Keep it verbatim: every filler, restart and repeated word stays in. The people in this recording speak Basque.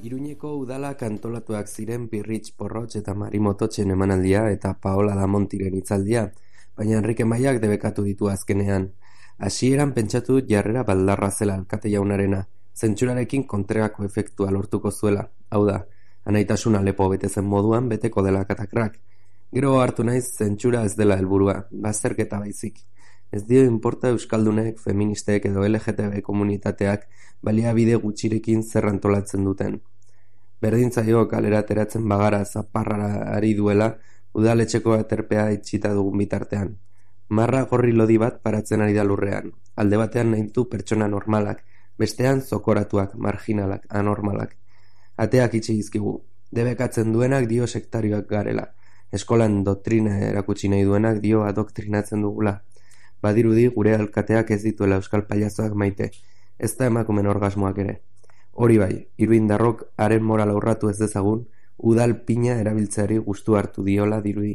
Iruñeko udalak antolatuak ziren Pirritx Porrotx eta Mari Mototxen emanaldia eta Paola Damontiren hitzaldia, baina Enrique Maiak debekatu ditu azkenean. Hasieran pentsatu dut jarrera baldarra zela alkate jaunarena, zentsurarekin kontrako efektua lortuko zuela, hau da, anaitasuna lepo betezen moduan beteko dela katakrak. Gero hartu naiz zentsura ez dela helburua, bazterketa baizik. Ez dio inporta euskaldunek, feministek edo L G T B komunitateak baliabide gutxirekin zer antolatzen duten. Berdintzaio kalera ateratzen bagara zaparrara ari duela udaletxeko aterpea itxita dugun bitartean. Marra gorri lodi bat paratzen ari da lurrean. Alde batean nahintu pertsona normalak, bestean zokoratuak, marginalak, anormalak. Ateak itxi dizkigu. Debekatzen duenak dio sektarioak garela. Eskolan doktrina erakutsi nahi duenak dio adoktrinatzen dugula. Badirudi gure alkateak ez dituela euskal pailazoak maite, ez da emakumen orgasmoak ere. Hori bai, iruindarrok haren morala urratu ez dezagun, udal pina erabiltzeari gustu hartu diola dirudi.